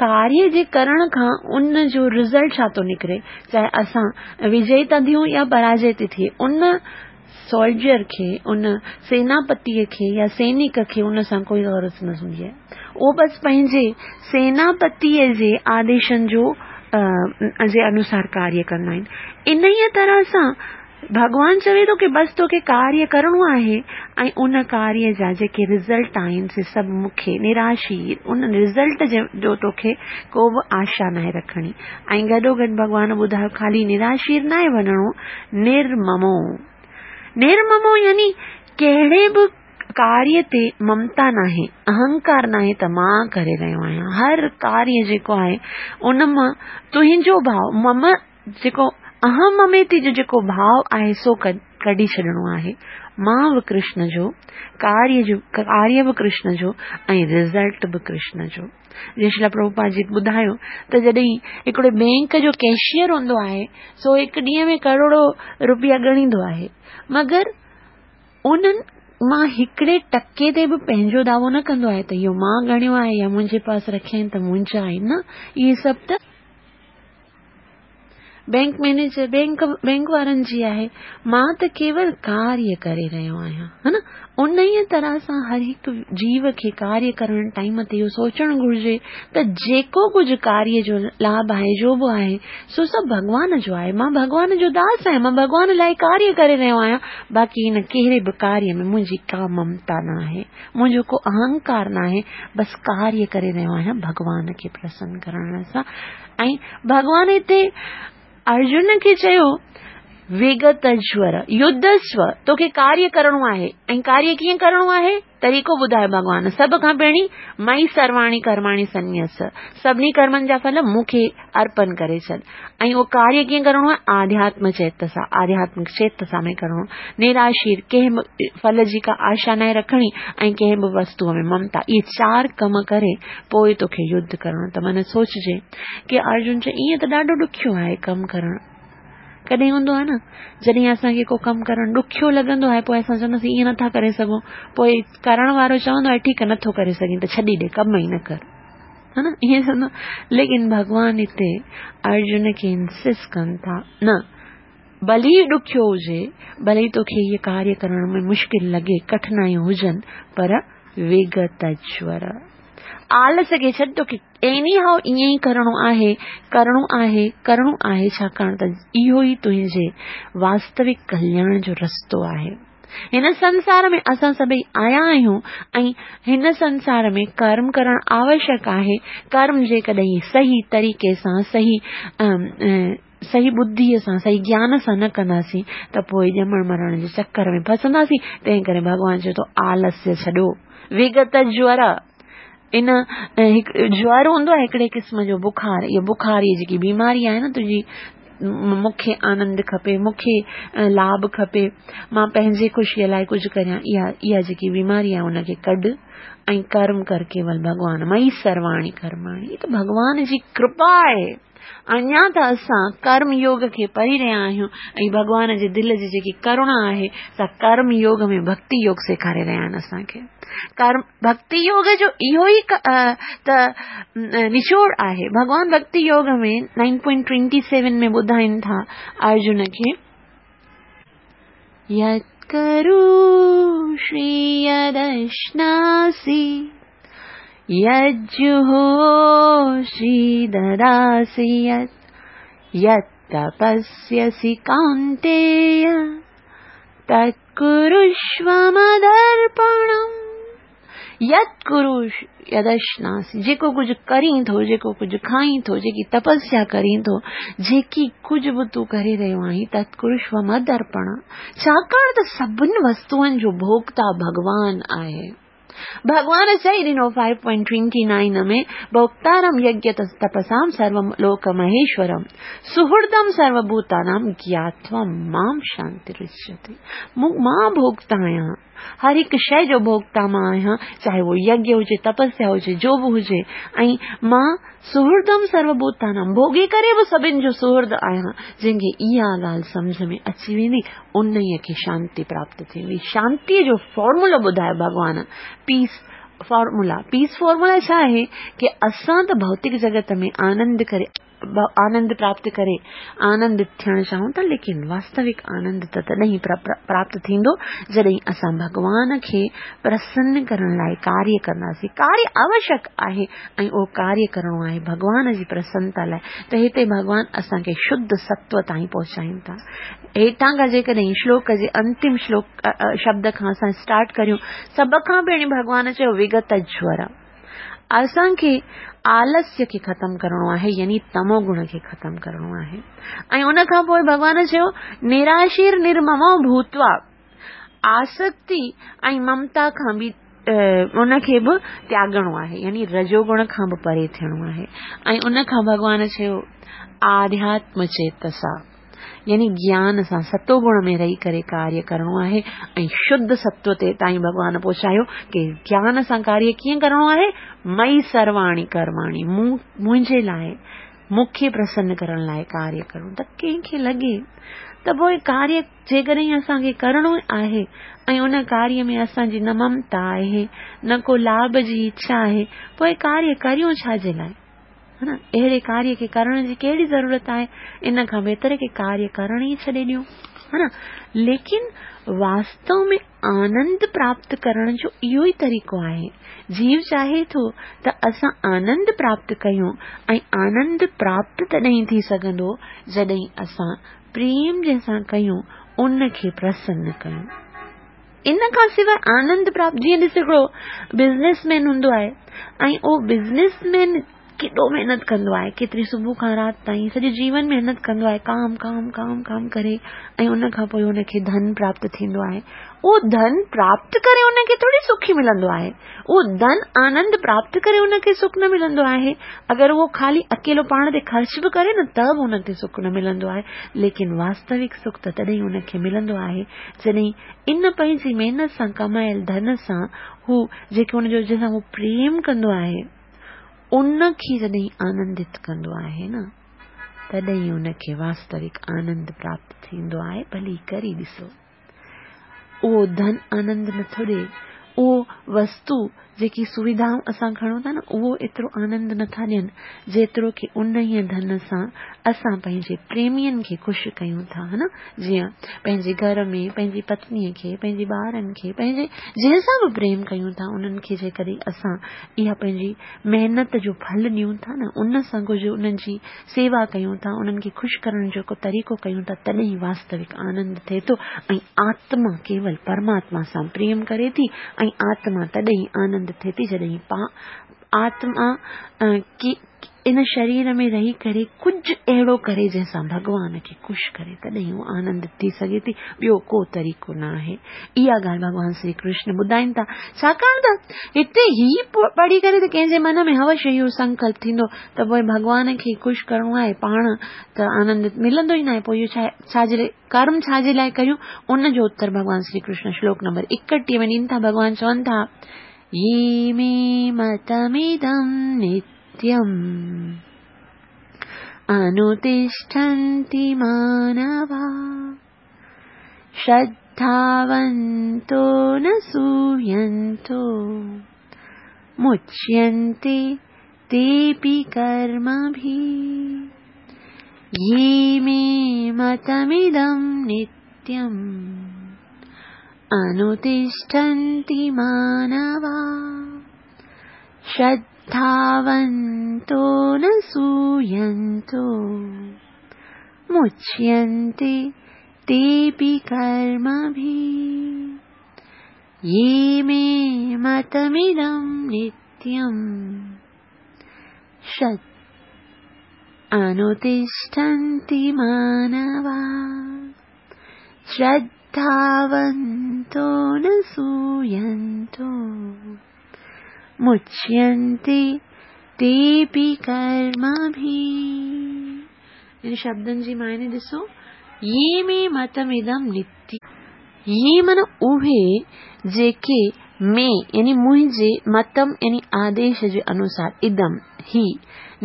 ڪاريه جي ڪرڻ کان ان جو رزلٽ ڇا ٿو نڪري چاهي اسان وجئي ٿا ٿيون يا پراجي ٿي ٿئي ان سولجر کي، ان سيناپتيء کي يا سينڪ کي ان سان ڪوئي غرض نه هوندي آهي. اهو بس پنهنجي سيناپتيء جي آديشن جو جي انوسار ڪاريه ڪندا آهن. انهيء طرح سان ڀڳوان چوي ٿو ڪي بس توکي ڪاريه ڪرڻو آهي ۽ ان ڪاريه جا جيڪي رزلٽ آهن سي سڀ مون کي نراشي ان رزلٽ جو توکي ڪو به آشا ناهي رکڻي ۽ گڏوگڏ ڀڳوان ٻڌايو خالي نراشير ناهي وڃڻو نرممو نرممو يعني ڪهڙي به ڪاريه تي ممتا ناهي اهنڪار ناهي ته مان ڪري رهيو آهيان هر ڪاريه جيڪو آهي ان مان تنهنجو ڀاو مم جيڪو اهم مميتي جو جيڪو ڀاو آهي سو ڪڍي ڇڏڻو آهي مان به ڪرشن جو ڪاريه جو ڪاريه به ڪرشن جو ۽ رزلٽ به ڪرشن جو جيئن شريلا پرڀوپاد جي ٻڌايو ته جڏهن هڪڙو بينڪ جو ڪيشيئر هوندو آهي سو هڪ ڏينهن ۾ ڪروڙو روپيا ڳڻيندو آهي مگر انهن مان هڪڙي ٽڪي تي به پنهنجو دعوو نه ڪندو آهي ته اهو مان ڳڻيو آهي يا منهنجي پاس رکيا آهن ته منهنجا آهن نه اهي سڀ ته بينڪ مئنيجر بينڪ بينڪ وارن جي آهي مان ته ڪيول ڪاريه ڪري رهيو آهيان ها نه انهيء طرح سان هر هڪ جيو کي ڪاريه ڪرڻ ٽائيم تي اهو سوچڻ گهرجي ته جيڪو ڪجهه ڪاريه جو لاڀ آهي جو به آهي سو سڀ ڀڳوان جو آهي مان ڀڳوان جو داس آهيان مان ڀڳوان لاء ڪاريه ڪري رهيو آهيان باقي هن ڪهڙي به ڪاريه ۾ منهنجي ڪا ممتا نه آهي منهنجو ڪو اهنڪار نه آهي بس ڪاريه ڪري رهيو آهيان ڀڳوان کي پرسن ڪرڻ سان ۽ ڀڳوان هتي ارجن کي چيو وگت جور يڌسو توکي ڪاريه ڪرڻو آهي ۽ ڪاريه ڪيئن ڪرڻو آهي طريقو ٻڌايو ڀڳوان سڀ کان پهرين مئي سرواڻي ڪرماڻي سنيس سڀني ڪرمن جا ڦل مون کي ارپن ڪري ڇڏ ۽ اهو ڪاريه ڪيئن ڪرڻو آهي آڌياتم چيتسا آڌياتمڪ چيتسا ۾ ڪرڻو نراشير ڪنهن به ڦل جي ڪا آشا ناهي رکڻي ۽ ڪنهن به وستوء ۾ ممتا اهي چار ڪم ڪري پوء توکي يڌ ڪرڻو ته من سوچجي ڪي ارجن چئي ائين ته ڏاڍو ڏکيو آهي ڪم ڪرڻ ڪڏهن هوندو آهي نه جڏهن اسان کي ڪو ڪم ڪرڻ ڏکيو لڳندو آهي پوء اسان چونداسين ائين نٿا ڪري سگهون پوء ڪرڻ وارو چوندو آهي ٺيڪ نٿو ڪري سگهين ته ڇڏي ڏي ڪم ئي نه ڪر ها نه ائين چوندو ليڪن ڀڳوان هتي ارجن کي انسسٽ ڪن ٿا نه ڀلي ڏکيو هجي ڀلي توکي هيء ڪاريه ڪرڻ ۾ مشڪل لڳي ڪٺنايون هجن پر وگت جور آلس کي ڇڏ توکي ايني هائو ائين ئي ڪرڻو آهي ڪرڻو آهي ڪرڻو آهي ڇاڪاڻ ته اهو ئي تنهنجي واستوڪ ڪلياڻ جو رستو آهي هن سنسار ۾ اسان سڀئي آيا آهيون ۽ هن سنسار ۾ ڪرم ڪرڻ آوشڪ آهي ڪرم جيڪڏهن صحيح طريقي سان صحيح صحيح ٻڌيء سان صحيح گيان سان نه ڪنداسين ته پوء ڄمڻ مرڻ جي چڪر ۾ ڦسنداسين تنهن ڪري ڀڳوان چئي ٿو آلسيه ڇڏو وگت جور ان هڪ جور هوندو آهي هڪڙي قسم جو بخار اهو بخار جي جيڪي بيماري آهي نه تنهنجي مون کي آنند کپي، مون کي لاڀ کپي، مان پنهنجي خوشيء لاء ڪجهه ڪريان، اها اها جيڪي بيماري آهي ان کي ڪڍ ۽ ڪرم ڪر ڪيول ڀڳوان مئي سرواڻي ڪرماڻي. هي ته ڀڳوان جي ڪرپا آهي. اڃا ته اسان ڪرم يوگ کي پڙهي رهيا آهيون ۽ ڀڳوان جي دل جي جيڪي ڪروڻا آهي سا ڪرم يوگ ۾ ڀڳتي يوگ سيکاري رهيا آهن اسان کي. ڪرم ڀڳتي يوگ جو اهو ئي ته نچوڙ آهي. ڀڳوان ڀڳتي يوگ ۾ نائن پوائنٽ ٽوئنٽي سيون ۾ ٻڌائين ٿا ارجن کي. يت ڪروشي يدشناسي يجهوشي دداسي يت يت تپسيسي ڪونتيي تت ڪروشو مدرپڻم. يت ڪروشي يدشناسي جيڪو ڪجهه ڪرين ٿو، جيڪو ڪجهه کائين ٿو، جيڪي تپسيا ڪرين ٿو، جيڪي ڪجهه به تون ڪري رهيو آهين، تت ڪروشو مدرپڻم. ڇاڪاڻ ته سڀن وستوئن جو ڀوڳتا ڀڳوان آهي. ڀڳوان چئي ڏنو فائيو پوائنٽ ٽوئنٽي نائن ۾ ڀوڳتارم يگيه تپسام سرو لوڪ مهيشورم سهردم سرو ڀوتانام گياتوا مام شانترشيتي. مان ڀوڳتا آهيان، هر هڪ شيء جو ڀوڳتا مان آهيان، چاهي اهو يگيه هجي، تپسيا هجي، جو به هجي، ۽ مان سهردم سرو ڀوتانام ڀوڳي ڪري به سڀن جو سهرد آهيان. جنهن کي اها ڳالهه سمجهه ۾ اچي ويندي، انهيء کي شانتي پراپت ٿيندي. شانتيء جو فارمولو ٻڌايو ڀڳوان، پيس فارمولا. پيس فارمولا ڇا آهي ڪي اسان ته ڀوتڪ جڳت ۾ آنند ڪري آنند پراپت ڪري آنندت ٿيڻ چاهيون ٿا، ليڪن واستوڪ آنند ته تڏهن ئي پراپت ٿيندو جڏهن اسان ڀڳوان کي پرسن ڪرڻ لاء ڪاريه ڪنداسين. ڪاريه آوشڪ آهي ۽ اهو ڪاريه ڪرڻو آهي ڀڳوان جي پرسنتا لاء ته هتي ڀڳوان اسان کي شڌ ستو تائين پهچائين ٿا. هيٺان کان جيڪڏهن شلوڪ جي انتم شلوڪ شبد کان اسان اسٽارٽ ڪريون، سڀ کان پهرين ڀڳوان چيو وگت جور. اسان کي آلسيه کي ختم ڪرڻو آهي يعني تمو گڻ کي ختم ڪرڻو آهي ۽ ان کان پوء ڀڳوان چيو نراشير نرممو ڀوتوا آسڪتي ۽ ممتا کان به ان کي به تياڳڻو آهي يعني رجو گڻ کان به پري ٿيڻو آهي ۽ ان کان ڀڳوان چيو آڌياتم چيتسا يعني گيان سان ستو گڻ ۾ رهي ڪري ڪاريه ڪرڻو آهي ۽ شڌ ستو تي تائين ڀڳوان پهچايو ڪي گيان سان ڪاريه ڪيئن ڪرڻو آهي مئي سرواڻي ڪرواڻي مون منهنجي لاء مون کي پرسن ڪرڻ لاء ڪاريه ڪرڻو ته ڪنهن کي لڳي ته پوء ڪاريه جيڪڏهن اسان کي ڪرڻو آهي ۽ ان ڪاريه ۾ اسان جي نه ممتا آهي نه ڪو لاڀ جي اڇا آهي پوء ڪاريه ڪريون ڇا جي لاء ها نه اهڙي ڪاريه کي ڪرڻ جي ڪهڙي ضرورت آهي ان کان بهتر ڪي ڪاريه ڪرڻ ئي ڇڏي ڏيون ها نه ليڪن واستو ۾ آنند پراپت ڪرڻ جو اهو ئي طريقو آهي جيو چاهي ٿو ته اسان آنند پراپت ڪيون ۽ آنند پراپت تڏهن ٿي سگهندو جڏهن اسان پريم جنهن سان ڪيون ان کي پرسن ڪيون ان کان سواء آنند پراپت جيئن ڏس هڪڙو بزنس مين هوندو آهي ۽ اهو بزنس مين ڪيڏو محنت ڪندو آهي ڪيتري صبح کان رات تائين سڄو جيون محنت ڪندو آهي ڪام ڪام ڪام ڪام ڪري ۽ ان کان پوء ان کي ڌن پراپت ٿيندو آهي اهو ڌن پراپت ڪري ان کي ٿوري سک ملندو آهي اهو ڌن آنند پراپت ڪري ان کي سک نه ملندو آهي اگر اهو خالي اڪيلو پاڻ تي خرچ به ڪري نه ته به ان کي سک نه ملندو آهي ليڪن واستوڪ سک ته تڏهن ان کي ملندو آهي جڏهن ان پنهنجي محنت سان ڪمايل ڌن سان هو جيڪي ان جو جنهن سان هو پريم ڪندو آهي ان کي جڏهن آنندت ڪندو آهي نه تڏهن ان کي واستوڪ آنند پراپت ٿيندو آهي ڀلي ڪري ڏسو اهو ڌن آنند نٿو ڏئي اهو وستو جيڪي سويڌائون اسان کڻون ٿا نه اهو ايترو آنند نه ٿا ڏين جيترو ڪي انهيء ڌن سان اسان پنهنجي پريمين کي خوش ڪيون ٿا ها نه جيئن پنهنجي گهر ۾ پنهنجي پتنيء کي پنهنجي ٻارن کي پنهنجي جنهن سان به پريم ڪيون ٿا انهن کي جيڪڏهن اسان اها پنهنجي محنت جو ڦل ڏيون ٿا نه ان سان ڪجهه انهن جي سيوا ڪيون ٿا، انهن کي خوش ڪرڻ جو ڪو طريقو ڪيون ٿا، تڏهن واستوڪ آنند ٿئي ٿو ۽ آتما ڪيول پرماتما سان پريم ڪري ٿي ۽ آتما تڏهن آنند ٿئي ٿي جڏهن آتما ان شرير ۾ رهي ڪري ڪجهه اهڙو ڪري جنهن سان ڀڳوان کي خوش ڪري تڏهن هو آنندت ٿي سگهي ٿي ٻيو ڪو طريقو نه آهي. اها ڳالهه ڀڳوان شري ڪرشن ٻڌائين ٿا. ڇاڪاڻ ته هتي هي پڙهي ڪري ته ڪنهن جي من ۾ هوش اهو سنڪلپ ٿيندو ته پوء ڀڳوان کي خوش ڪرڻو آهي پاڻ ته آنندت ملندو ئي ناهي پوء اهو ڇا ڇا جي ڪرم ڇا جي لاء ڪريون ان جو اتر ڀڳوان شري ڪرشن شلوڪ نمبر 31 ۾ ڏين ٿا ڀڳوان چون ٿا يي مي متمدم نتيم انوتشٺنتي مانوا شرڌاونتو نه سوينتو مچينتي تيپي ڪرمڀي يي مي متمدم نتيم انوتشٺنتي مانوا شرڌاونتو نه سوينتو مچينتي تيپي ڪرمڀي يي مي متمدم نتيم شد انوتشٺنتي مانوا شرڌاونتو نه سوينتو مچينتي تيپي ڪرمڀي. ان شبدن جي معني ڏسو، يي مي متمدم نتي. يي معنيٰ اهي جيڪي مي يعني منهنجي متم يعني آديش جي انوسار ادم، هي،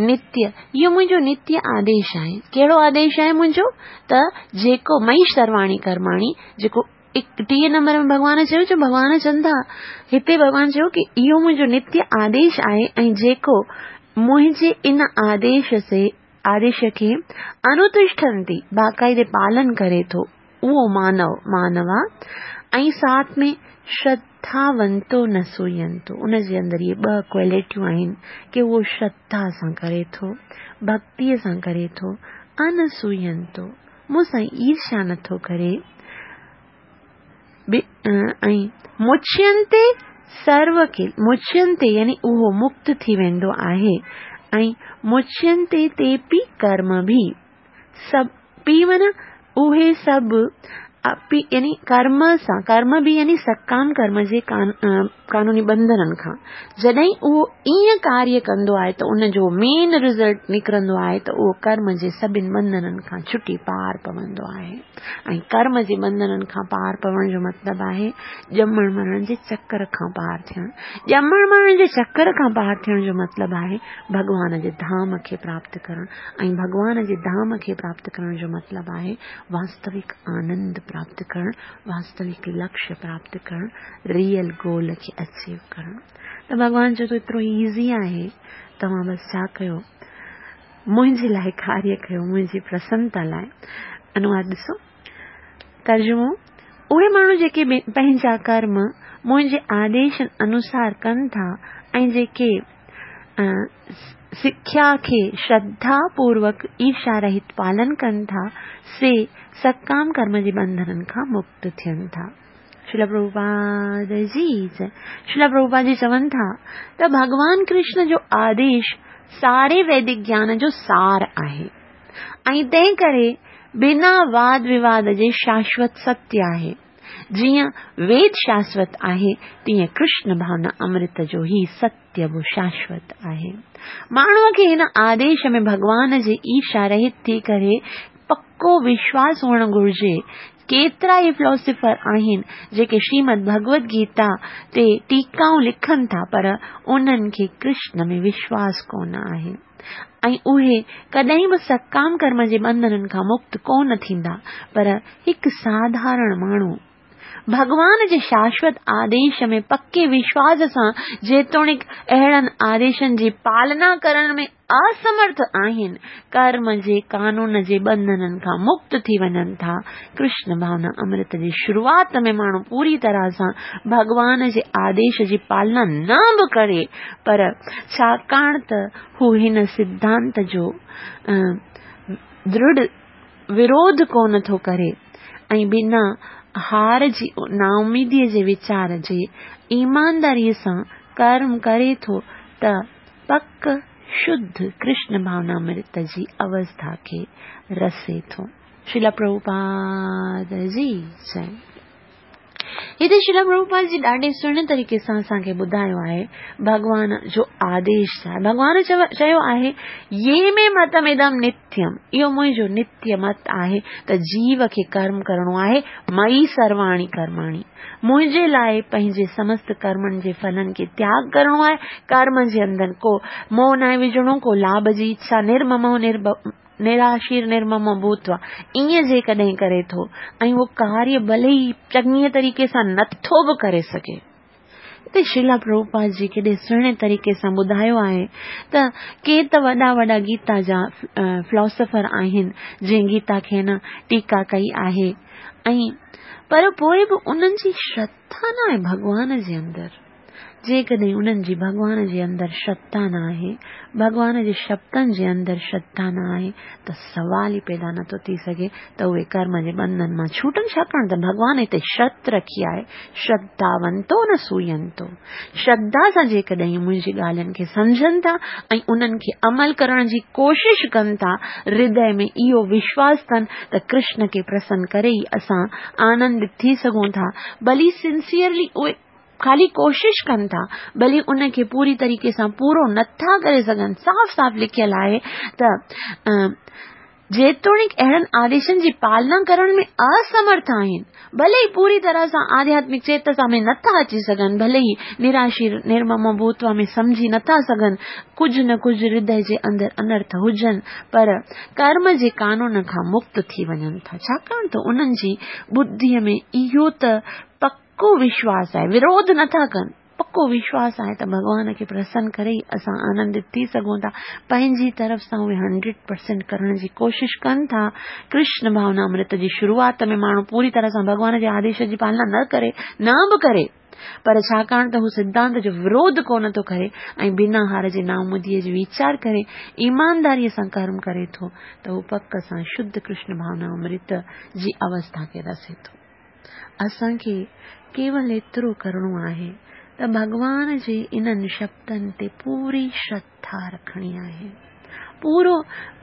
نتي اهو منهنجو نتي آديش آهي. ڪهڙو آديش آهي منهنجو؟ ته جيڪو مئي سرواڻي ڪرماڻي جيڪو 31 نمبر ۾ ڀڳوان چيو جو ڀڳوان چون ٿا هتي ڀڳوان چيو ڪي اهو منهنجو نتي آديش آهي ۽ جيڪو منهنجي ان آديش سي آديش کي انوتشٺنتي باقاعدي پالن ڪري ٿو اهو مانو مانوا ۽ ساٿ ۾ شرڌاونتو نه سوينتو ان جي اندر اهي ٻه ڪوالٽيون آهن ڪي اهو شرڌا سان ڪري ٿو ڀڳتيء سان ڪري ٿو انسوينتو مون سان ايرشا نٿو ڪري ۽ مچينتي سرو کي مچينتي يعني اهو مڪت ٿي ويندو آهي ۽ مچينتي تيپي ڪرم ڀي سڀ پي معنيٰ اهي سڀ اپي يعني ڪرم سان ڪرم به يعني سڪام ڪرم جي قانوني ٻنڌنن کان جڏهن اهو ائين ڪاريه ڪندو آهي ته ان جو مين رزلٽ نڪرندو آهي ته اهو ڪرم جي سڀن ٻنڌنن کان ڇٽي پار پوندو آهي ۽ ڪرم جي ٻنڌنن کان پار پوڻ جو مطلب آهي ڄمڻ مرڻ جي چڪر کان پار ٿيڻ ڄمڻ مرڻ جي چڪر کان پار ٿيڻ جو مطلب آهي ڀڳوان جي ڌام کي پراپت ڪرڻ ۽ ڀڳوان جي ڌام کي پراپت ڪرڻ جو مطلب آهي واستوڪ آنند پراپت ڪرڻ، واستوڪ لڪشيه پراپت ڪرڻ، ريئل گول کي اچيو ڪرڻ. ته ڀڳوان چئي ٿو ايترو ايزي آهي، توهان بس ڇا ڪيو، منهنجي لاء ڪاريه ڪيو، منهنجي پرسنتا لاء. انواد ڏسو، ترجمو، اهي ماڻهو جيڪي پنهنجا ڪرم منهنجي آديشن انوسار ڪن ٿا ۽ جيڪي سکيا کي شرڌا پوروڪ ايرشا رهت پالن ڪن ٿا، سي سڪام ڪرم جي ٻنڌنن کان مڪت ٿين ٿا. شريلا پرڀوپاد جي جئه. شريلا پرڀوپاد جي چون ٿا ته ڀڳوان ڪرشن جو آديش ساري ويدڪ گيان جو سار آهي ۽ تنهن ڪري بنا واد وواد جي شاشوت ستيه آهي. جيئن ويد شاشوت آهي، تيئن ڪرشن ڀاونا امرت جو هي ستيه به شاشوت آهي. ماڻهوء کي هن آديش ۾ ڀڳوان جي ايرشا رهت ٿي ڪري پڪو وشواس هئڻ گهرجي. ڪيترا ئي فلاسافر آهن، جيڪي شريمد ڀڳوت گيتا تي ٽيڪائون لکن ٿا، پر انهن کي ڪرشن ۾ وشواس ڪونه آهي. ۽ اهي ڪڏهن به سڪام ڪرم جي ٻنڌنن کان مڪت ڪونه ٿيندا، پر هڪ ساڌارڻ ماڻهو ڀڳوان جي شاشوت آديش ۾ پڪي وشواس سان جيتوڻيڪ اهڙن آديشن جي پالنا ڪرڻ ۾ اسمرٿ آهن، ڪرم جي قانون جي ٻنڌنن کان مڪت ٿي وڃن ٿا. ڪرشن ڀاونا امرت جي شروعات ۾ ماڻهو پوري طرح سان ڀڳوان جي آديش جي پالنا نه به ڪري، پر ڇاڪاڻ ته هو هن سڌانت جو درڙ وروڌ ڪونه ٿو ڪري ۽ بنا هار جي نااميديء جي ويچار جي ايمانداريء سان ڪرم ڪري ٿو ته پڪ شڌ ڪرشن ڀاونامرت جي اوسٿا کي رسي ٿو. شريلا پرڀوپاد جي جئي. هتي شريلا پرڀوپاد جي ڏاڍي سهڻي طريقي سان اسان کي ٻڌايو آهي ڀڳوان جو آديش ڇا آهي. ڀڳوان چيو آهي يي مي متم ادم نتيم، اهو منهنجو نتيه مت آهي ته جيو کي ڪرم ڪرڻو آهي، مئي سرواڻي ڪرماڻي، منهنجي لاء پنهنجي سمست ڪرمن جي ڦلن کي تياڳ ڪرڻو آهي، ڪرم جي اندر ڪو موهه ناهي وجهڻو، ڪو لاڀ جي اڇا، نرممو نرڀ نراشير نرممو ڀوتوا، ائين جيڪڏهن ڪري ٿو ۽ اهو ڪاريه ڀلي ئي چڱي طريقي سان نٿو به ڪري سگهي. هتي شريلا پرڀوپاد جي ڪيڏي سهڻي طريقي سان ٻڌايو آهي ته ڪي ته وڏا وڏا گيتا جا فلاسفر آهن جنهن گيتا کي نه ٽيڪا ڪئي آهي ۽ پر پوء به انهن جي شرڌا ناهي ڀڳوان جي اندر. جيڪڏهن انهن جي ڀڳوان جي اندر شرڌا نه آهي، ڀڳوان جي شبدن جي اندر شرڌا نه آهي ته سوال ئي پيدا نه ٿو ٿي سگهي ته اهي ڪرم جي ٻنڌن مان ڇوٽن، ڇاڪاڻ ته ڀڳوان هتي شرط رکي آهي، شرڌاونتو نه سوئنتو. شرڌا سان جيڪڏهن منهنجي ڳالهين کي سمجهن ٿا ۽ انهن کي عمل ڪرڻ جي ڪوشش ڪن ٿا، هردي ۾ اهو وشواس اٿن ته ڪرشن کي پرسن ڪري ئي اسان آنندت ٿي سگهون ٿا، ڀلي سنسيئرلي اهي خالي ڪوشش ڪن ٿا، ڀلي ان کي پوري طريقي سان پورو نٿا ڪري سگهن. صاف صاف لکيل آهي ته جيتوڻيڪ اهڙن آديشن جي پالنا ڪرڻ ۾ اسمرٿ آهن، ڀلي ئي پوري طرح سان آڌياتمڪ چيتسا ۾ نٿا اچي سگهن، ڀلي ئي نراشير نرممو ڀوتوا ۾ سمجهي نٿا سگهن، ڪجهه نه ڪجهه هردي جي اندر انرٿ هجن، پر ڪرم جي قانون کان مڪت ٿي وڃن ٿا، ڇاڪاڻ ته انهن جي ٻڌيء ۾ اهو ته پڪ پڪو وشواس آهي، وروڌ نه ٿا ڪن، پڪو وشواس آهي ته ڀڳوان کي پرسن ڪري ئي اسان آنندت ٿي سگهون ٿا، پنهنجي طرف سان اهي هنڊريڊ پرسينٽ ڪرڻ جي ڪوشش ڪن ٿا. ڪرشن ڀاونا امرت جي شروعات ۾ ماڻهو پوري طرح سان ڀڳوان جي آديش جي پالنا نه ڪري، نه به ڪري، پر ڇاڪاڻ ته هو سڌانت جو وروڌ ڪونه ٿو ڪري ۽ بنا هار جي نااميديء جو ويچار ڪري ايمانداريء سان ڪرم ڪري ٿو ته هو پڪ سان شڌ ڪرشن ڀاونا امرت جي اوسٿا کي رسي ٿو. اسان کي ڪيول ايترو ڪرڻو آهي ته ڀڳوان جي انهن شبدن تي پوري شرڌا رکڻي آهي. پورو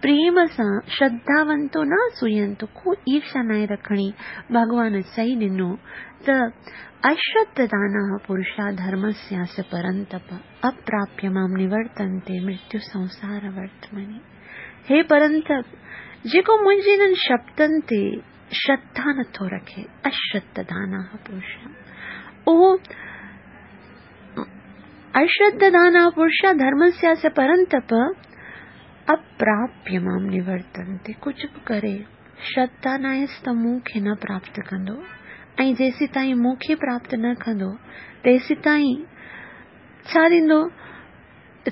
پريم سان شرڌاونتو نه سوئنتو ڪو ايرشا ناهي رکڻي. ڀڳوان چئي ڏنو ته اشرڌداناه پرشا ڌرمسياس پرنتپ اپراپيه مام نورتنتي مرتيو سنسار ورتمني. هي پرنتپ! جيڪو منهنجي انهن شبدن تي شرڌا نٿو رکي، اشرڌداناه پرشا، اهو اشرڌداناه پرشا ڌرمسياس پرنتپ اپراپيه مام نورتنتي، ڪجهه به ڪري شرڌا ناهيس ته مون کي نه پراپت ڪندو ۽ جيسيتائين مون کي پراپت نه ڪندو تيسيتائين ڇا ٿيندو؟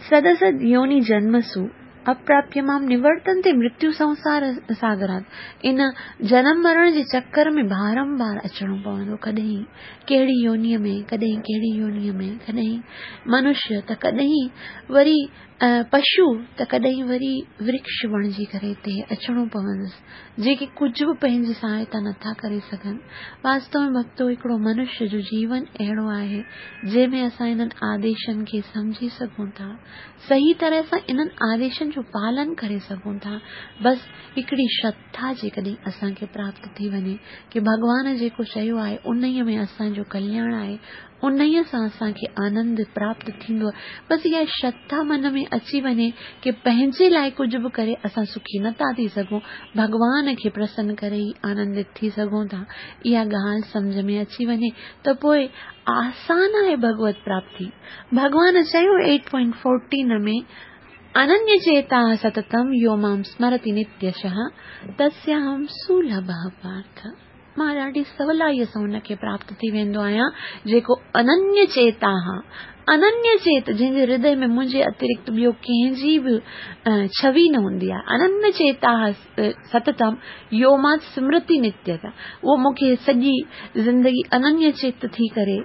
سدسد يوني جنمسو اپراپيه مام نورتنتي مرتيو سنسار ساگرات ان جنم مرڻ جي چڪر ۾ بارم بار اچڻو پوندو ڪڏهن ڪهڙي يونيء ۾ ڪڏهن ڪهڙي يونيء ۾ ڪڏهن منشيه ته ڪڏهن وري پشو ته ڪڏهن وري ورڪش بڻجي ڪري هتي اچڻو پوندس جيڪي ڪجهه به پنهنجي سهائتا نٿا ڪري سگهن. واستو ۾ ڀڳتو هڪڙو منشيه جو جيون اهڙو آهي، جنهن ۾ اسان انهن آديشن کي سمجهي سگهون ٿا، صحيح طرح سان انهن آديشن جو پالن ڪري سگهون ٿا. بس هڪڙي شرڌا جيڪڏهن اسان کي پراپت ٿي وڃي ڪي ڀڳوان جيڪو چيو آهي انهيء ۾ اسان جو ڪلياڻ آهي، انهيء سان اسان کي آنند پراپت ٿيندو. بس اها شرڌا من ۾ اچي وڃي ڪي پنهنجي لاء ڪجهه به ڪري اسان سکي نه ٿا ٿي سگهون، ڀڳوان کي پرسن ڪري ئي آنندت ٿي سگهون ٿا. اها ڳالهه سمجهه ۾ اچي وڃي ته پوء آسان آهي ڀڳوت پراپتي. ڀڳوان چيو ايٽ پوائنٽ فورٽين ۾ اننيه چيتاه ستتم يو مام سمرتي نتيشه تسياهم سولڀه پارٿ. مان ڏاڍي سولائيء سان ان کي پراپت ٿي ويندو آهيان، جيڪو اننيه چيت آهان. اننيه چيت، جنهن جي هردي ۾ منهنجي اترڪت ٻيو ڪنهن جي به ڇوي نه هوندي آهي. اننيه چيتاه ستتم يو مان سمرتي نتيته. اهو مون کي سڄي زندگي اننيه چيت ٿي ڪري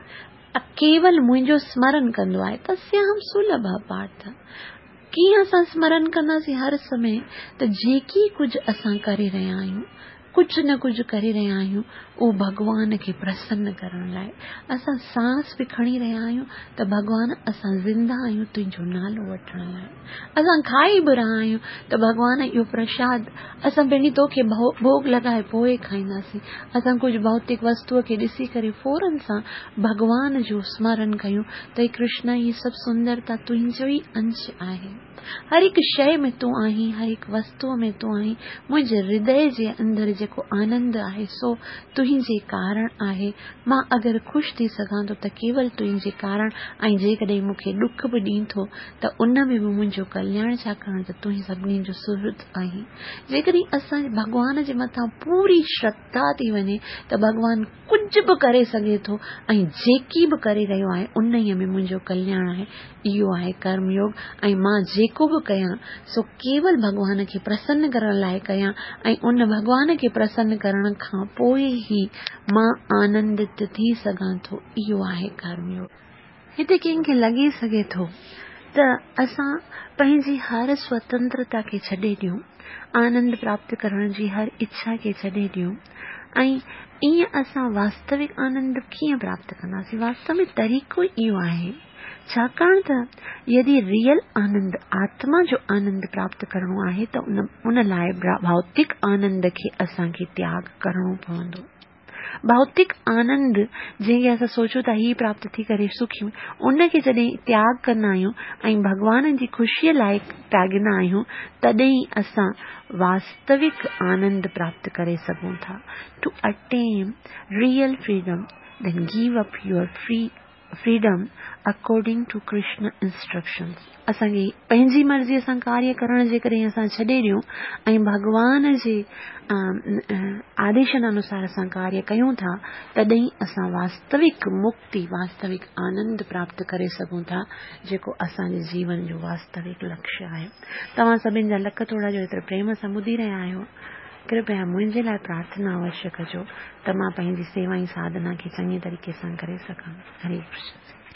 ڪيول منهنجو سمرن ڪندو آهي. تسياهم سولڀ پارٿ. ڪيئن اسان سمرن ڪنداسين هر سمي ته جيڪي ڪجهه اسان ڪري رهيا آهيون. ڪجهه نه ڪجهه ڪري رهيا آهيون اهو ڀڳوان کي پرسن ڪرڻ لاءِ. اسان سانس به کڻي رهيا آهيون ته ڀڳوان اسان زنده آهيون تنهنجو نالو وٺڻ لاءِ. اسان کائي به رهيا آهيون ته ڀڳوان اهو پرشاد اسان پهرين توکي ڀوڳ لڳائي پوءِ کائينداسين. اسان ڪجهه ڀوتڪ وستوءَ کي ڏسي ڪري فورن سان ڀڳوان جو سمرن ڪيون ته هي ڪرشن هي سڀ سندرتا تنهنجو ئي انش آهي. هر هڪ شيء ۾ تون آهين، هر هڪ وستوء ۾ تون آهين. منهنجي هردي جي اندر جيڪو آنند آهي سو تنهنجي ڪارڻ آهي. مان اگر خوش ٿي سگهان ٿو ته ڪيول تنهنجي ڪارڻ ۽ جيڪڏهن مون کي ڏک به ڏين ٿو ته ان ۾ به منهنجو ڪلياڻ ڇاڪاڻ ته تون ئي سڀني جو سهرد آهين. جيڪڏهن اسان جي ڀڳوان جي مٿان پوري شرڌا ٿي وڃي ته ڀڳوان ڪجهه به ڪري سگهي ٿو ۽ جيڪي به ڪري رهيو آهي انهيء ۾ منهنجو ڪلياڻ آهي. اهو آهي ڪرم يوگ ۽ مان جيڪو به ڪيان سو ڪيول ڀڳوان کي پرسن ڪرڻ لاء ڪيان ۽ ان ڀڳوان کي پرسن ڪرڻ کان پوء ئي مان آنندت ٿي سگهان ٿو. اهو آهي ڪرم يوگ. هتي ڪنهن کي لڳي سگهي ٿو ته اسان پنهنجي هر سوتنترتا کي ڇڏي ڏيون، آنند پراپت ڪرڻ جي هر اڇا کي ڇڏي ڏيون ۽ ائين اسان واستوڪ آنند ڪيئن پراپت ڪنداسين؟ واستو ۾ طريقو ئي اهو آهي، ڇاڪاڻ ته يدي ريئل آنند، آتما جو آنند پراپت ڪرڻو آهي ته ان لاء ڀوتڪ آنند کي اسان کي تياڳ ڪرڻو پوندو. ڀوتڪ آنند جنهن کي اسان سوچون ٿا هي پراپت ٿي ڪري سکي ان کي جڏهن تياڳ ڪندا آهيون ۽ ڀڳوان جي خوشيء لاء تياڳيندا آهيون تڏهن اسان واستوڪ آنند پراپت ڪري سگهون ٿا To attain real freedom then give up your free freedom according to Krishna instructions اسان کي پنهنجي مرضيء سان ڪاريه ڪرڻ جيڪڏهن اسان ڇڏي ڏيون ۽ ڀڳوان جي آديشن انوسار اسان ڪاريه ڪيون ٿا تڏهن اسان واستوڪ مڪتي واستوڪ آنند پراپت ڪري سگهون ٿا جيڪو اسان جي جيون جو واستوڪ لڪشيه آهي. توهان سڀن جا لک ٿورا جو ايتري پريم سان ٻڌي رهيا آهيو. ڪرپيا منهنجي لاء پرارٿنا اوشيه ڪجو ته مان پنهنجي سيوا ۽ ساڌنا کي چڱي طريقي سان ڪري سگهان. هري ڪرشن.